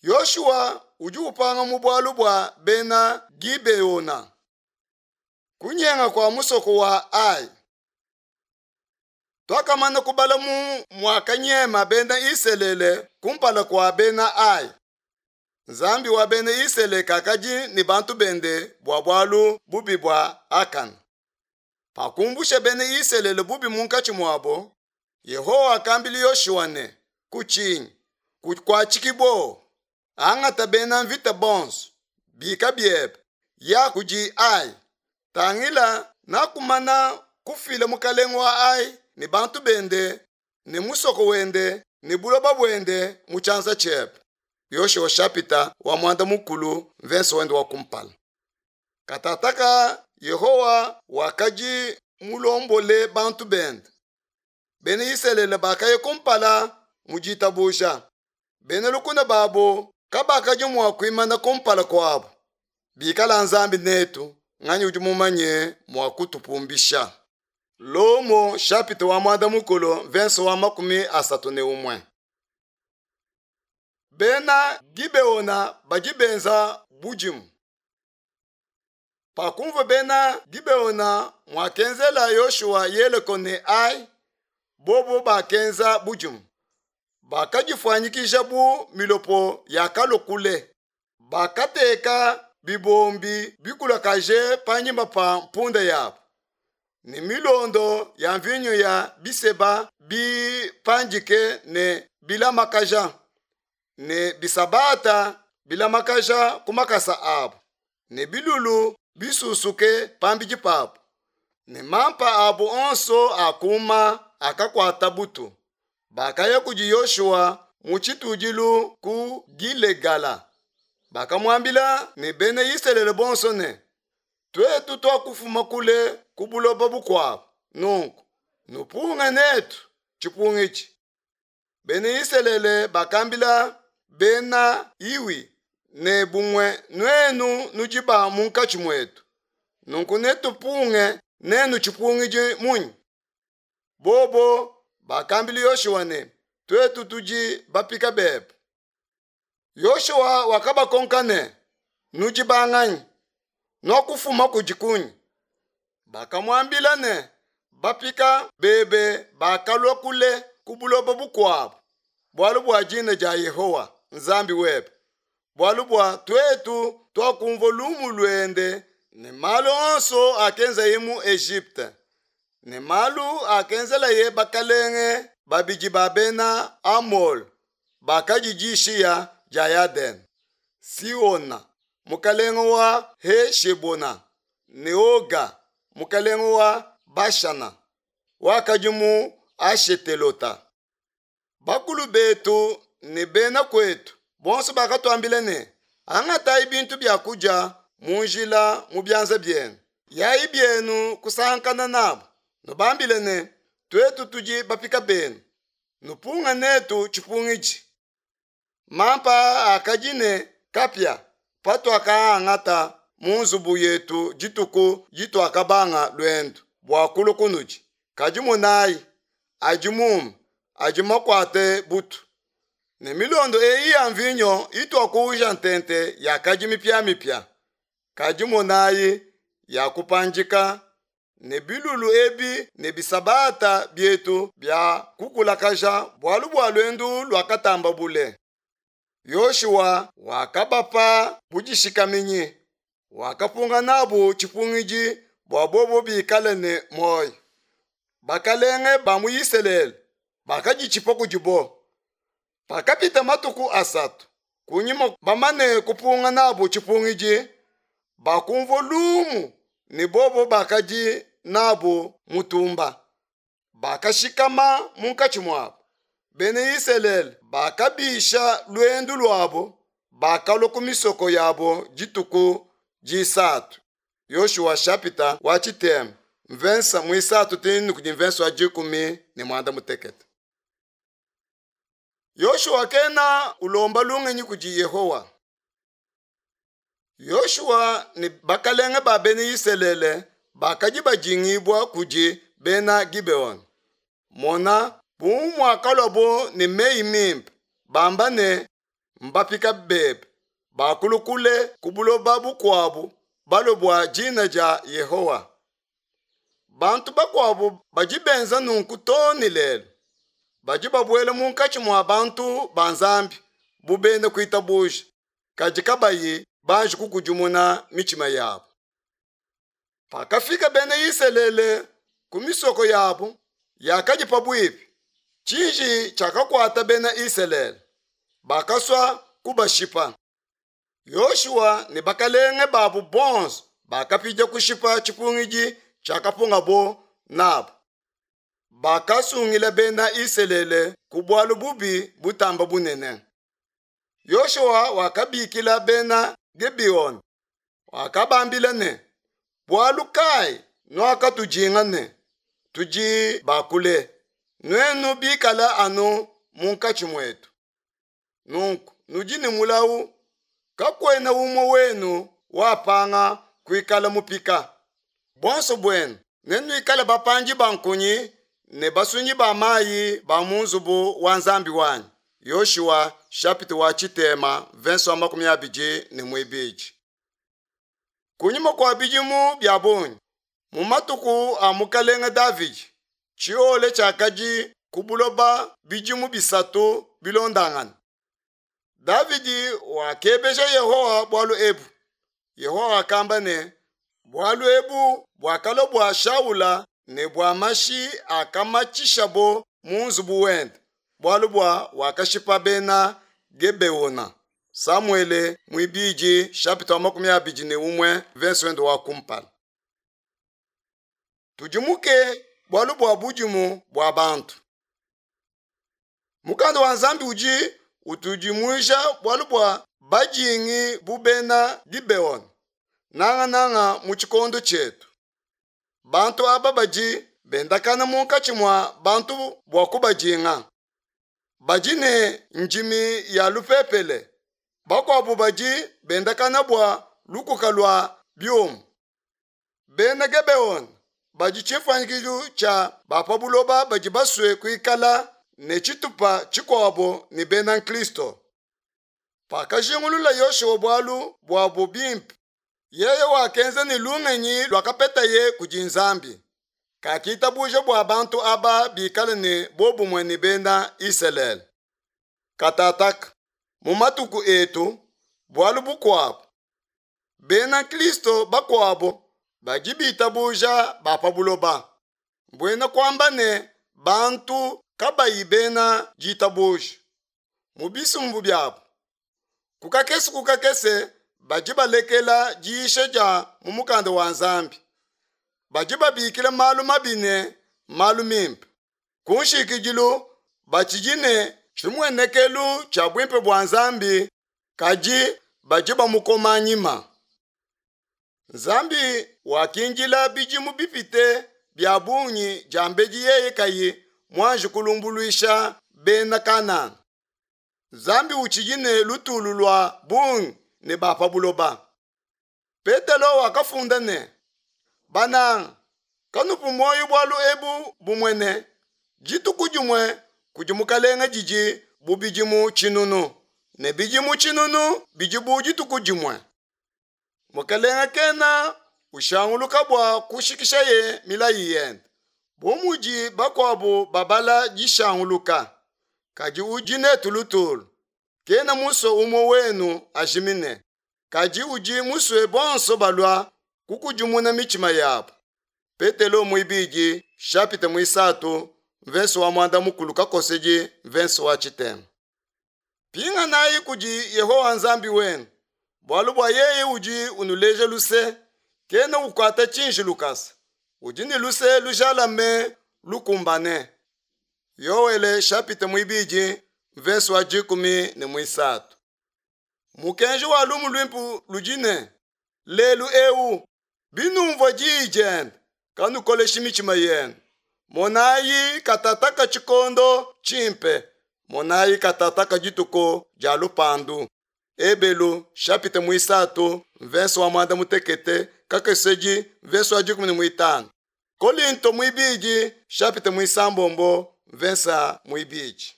Yoshua udi upanga mu bualu bua bena Gibeona. Kunyenga kua musoko wa Ai. Tuakamana kubala mu muakanyema bena Isalele kumpala kua bena Ai. Nzambi wa bena Isalele kakadi ne bantu bende bua bualu bubi bua Akana. Pakumbusha bena Isalele bubi munkatshi muabo, Yehowa wakambila Yoshua ne, Kutshinyi, kukuatshiki buowa, angata bena mvita bonso, bika biebe, ya kudi Ai. Tangila, nakumana kufila mukalenge wa Ai ne bantu bende ne musoko wende ne buloba buende mu tshianza tshiebe. Yoshua shapita wa muanda mukulu mvese wende wa kumpala. Katataka Yehowa wakadi mulombole bantu bende. Bena Isalele bakaya kumpala mu ditabuja. Bena lukuna babo kabakadi mua kuimana kumpala kuabo. Bikala Nzambi netu, nganyi udi mumanye mua kutupumbisha? Lomo chapitre wa muanda mukulu verse wa 31. Bena Gibeona badi benza budimu. Pakumvua bena Gibeona muakenzela Yoshua Yeleko ne Ai, bobo bakenza budimu. Bakadifuanyikija bu milopo yakalua kule. Bakateka bibombi bikulakaje panyima pa mpunda yabu ne milondo ya mvinyo ya biseba bipandike ne bilamakaja ne bisabata bilamakaja ku makasa abu ne bilulu bisusuke pambidi pabu ne mampa abu onso akuma akakuata butu. Bakaya kudi Yoshua mu tshitudilu ku Gilegala. Bakamuambila ne bena Isalele bonso ne, tuetu tuakufuma kule ku buloba bukuabu, nunku nupunge netu tshipungidi. Bena Isalele bakambila bena Iwi ne bumue nuenu nudi ba munkatshi muetu, nunku netupunge nenu tshipungidi munyi? Bobo bakambila Yoshua ne, tuetu tudi bapika bebe. Yoshua wakabakonka ne, nudi banganyi? Nuakufuma kudi kunyi? Bakamuambila ne, bapika bebe bakalua kule ku buloba bukuabu, bualu bua dina dia Yehowa Nzambi webe, bualu bua tuetu tuakumvua lumu luende ne malu onso akenzaye mu Egypte ne malu akenzelaye bakalenge babidi ba bena Amole bakadi dishiya dia Yadene, Sihona mukalenge wa Heshebona ne Oga mukalenge wa Bashana wakadi mu Ashetelota. Bakulu betu ne bena kwetu bonso bakatuambila ne, angatayi bintu bia kudia mu njila mu bianza bienu, yayi bienu kusankana nabo, nubambile ne, tuetu tudi bapika benu, nupunga netu tshipungidi. Mampa akadi ne kapia patuakaangata mu nzubu yetu dituku dituakabanga luendu bua kulua kunudi, kadi monayi, adi mume, adi makuate butu. Ne milondo eyi ya mvinyo ituakuuja ntente yakadi mipiamipia, kadi monayi, yakupandika, ne bilulu ebi ne bisabata bietu bia kukulakaja bualu bua luendu luakatamba bule. Yoshua wakabapa budishikaminyi, wakapunga nabu tshipungidi bua bobo bikale ne muoyo. Bakalenge ba mu Isalele bakaditshipa kudibo. Pakapita matuku asatu kunyima bamane kupunga nabu tshipungidi, bakumvua lumu ne bobo bakadi nabu mutumba. Bakashikama munkatshi muabu. Bena Isalele bakabisha luendu luabo, bakalua ku misoko yabo dituku disatu. Yoshua shapita wa tshitema mvensa muisatu tinu kudi mvensa wa 18. Yoshua kena ulomba lungenyi kudi Yehowa. Yoshua ne bakalenge ba bena Isalele bakadi badingibua kudi bena Gibeon. Mona, bu muakaluabo ne meyi mimpe, bamba ne, mbapika bebe, bakulua kule ku buloba bukuabu balue bua dina dia Yehowa. Bantu bakuabu badi benza nunku too ne lelu. Badi babuela munkatshi mua bantu ba Nzambi bu bena kuitabuja, kadi kabayi banji kukudimuna mitshima yabu. Pakafika bena Isalele ku misoko yabu yakadi pabuipi, tshiji tshiakakuata bena Isalele, bakasua kubashipa. Yoshua ne bakalenge babu bonso bakapidia kushipa tshipungidi tshiakapungabo nabu. Bakasungila bena Isalele ku bualu bubi butamba bunene. Yoshua wakabikila bena Gibeona, wakabambila ne, Bualu kayi nuakatudinga ne, Tudi ba kule, nuenu bikale anu munkatshi muetu? Nunku nudi ne mulawu, kakuena umue wenu wapanga kuikala mupika. Buonso buenu nenuikale bapandi ba nkunyi ne basunyi ba mayi ba mu nzubu wa Nzambi wanyi. Yoshua chapitre wa tshitema verse wa 22. Kunyima kua bidimu bia bungi, mu matuku a mukalenge Davidi, tshiole tshiakadi ku buloba bidimu bisatu bilondangane. Davidi wakebeja Yehowa bualu ebu. Yehowa wakamba ne, bualu ebu buakalua bua Shaula ne bua mashi akamatshishabo mu nzubu wende, bualu bua wakashipa bena Gebeona. Samuele muibidi chapitre wa 21 verse wende wa kumpala. Tudimuke bualu bua budimu bua bantu. Mukanda wa Nzambi udi utudimuija bualu bua badingi bu bena Gibeona, nangananga mu tshikondo tshietu. Bantu aba badi bendakana munkatshi mua bantu bua kubadinga. Badi ne ndimi ya lupepele, bakuabu badi bendakana bua lukuka lua biuma. Bena Gibeona badi tshimfuanyikijilu tshia ba pa buloba badi basue kuikala ne tshitupa tshikuabo ne bena nkristo. Pakajingulula Yoshua bualu buabu bimpe, yeye wakenza ne lungenyi luakapetaye kudi Nzambi. Kakitabuja bua bantu aba bikale ne buobumue ne bena Isalele. Katataka, mu matuku etu, bualu bukuabu, bena nkristo bakuabu badi bitabuja ba pa buloba, mbuena kuamba ne bantu kabayi bena ditabuja mu bisumbu biabu. Ku kakese ku kakese badi balekela diyisha dia mu mukanda wa Nzambi. Badi babikila malu mabi ne malu mimpe. Ku nshikidilu batshidi ne tshimuenekelu tshia buimpe bua Nzambi, kadi badi bamukoma nyima. Nzambi wakindila bidimu bipite bia bungi diambedi yeye kayi muanji kulumbuluisha bena Kanana. Nzambi utshidi ne lutulu lua bungi ne ba pa buloba. Petelo wakafunda ne, Bananga, kanupu muoyo bualu ebu bumue ne, dituku dimue kudi Mukalenge didi bu bidimu tshinunu, ne bidimu tshinunu bidi bu dituku dimue. Mukalenge kena ushanguluka bua kushikishaye milayi yende, bu mudi bakuabu babala dishanguluka, kadi udi netu lutulu. Kena musue umue wenu ajimine, kadi udi musue bonso balua kukudimuna mitshima yabu. Petelo muibidi chapitre muisatu mvese wa muanda mukulu kakosedi mvese wa tshitema. Pinganayi kudi Yehowa Nzambi wenu, bualu bua yeye udi unuleja luse, kena ukuata tshiji lukasa, udi ne luse lujalame lukumbane. Yoele chapitre muibidi mvese wa 13. Mukenji wa lumu luimpe ludi ne, lelu eu binumvua diyi diende, kanukoleshi mitshima yenu. Monayi katataka tshikondo tshimpe, monayi katataka dituku dia lupandu. Ebelu chapitre muisatu mvese wa muanda mutekete kakesedi mvese wa 15. Kolinto muibidi chapitre muisambombo mvese muibidi.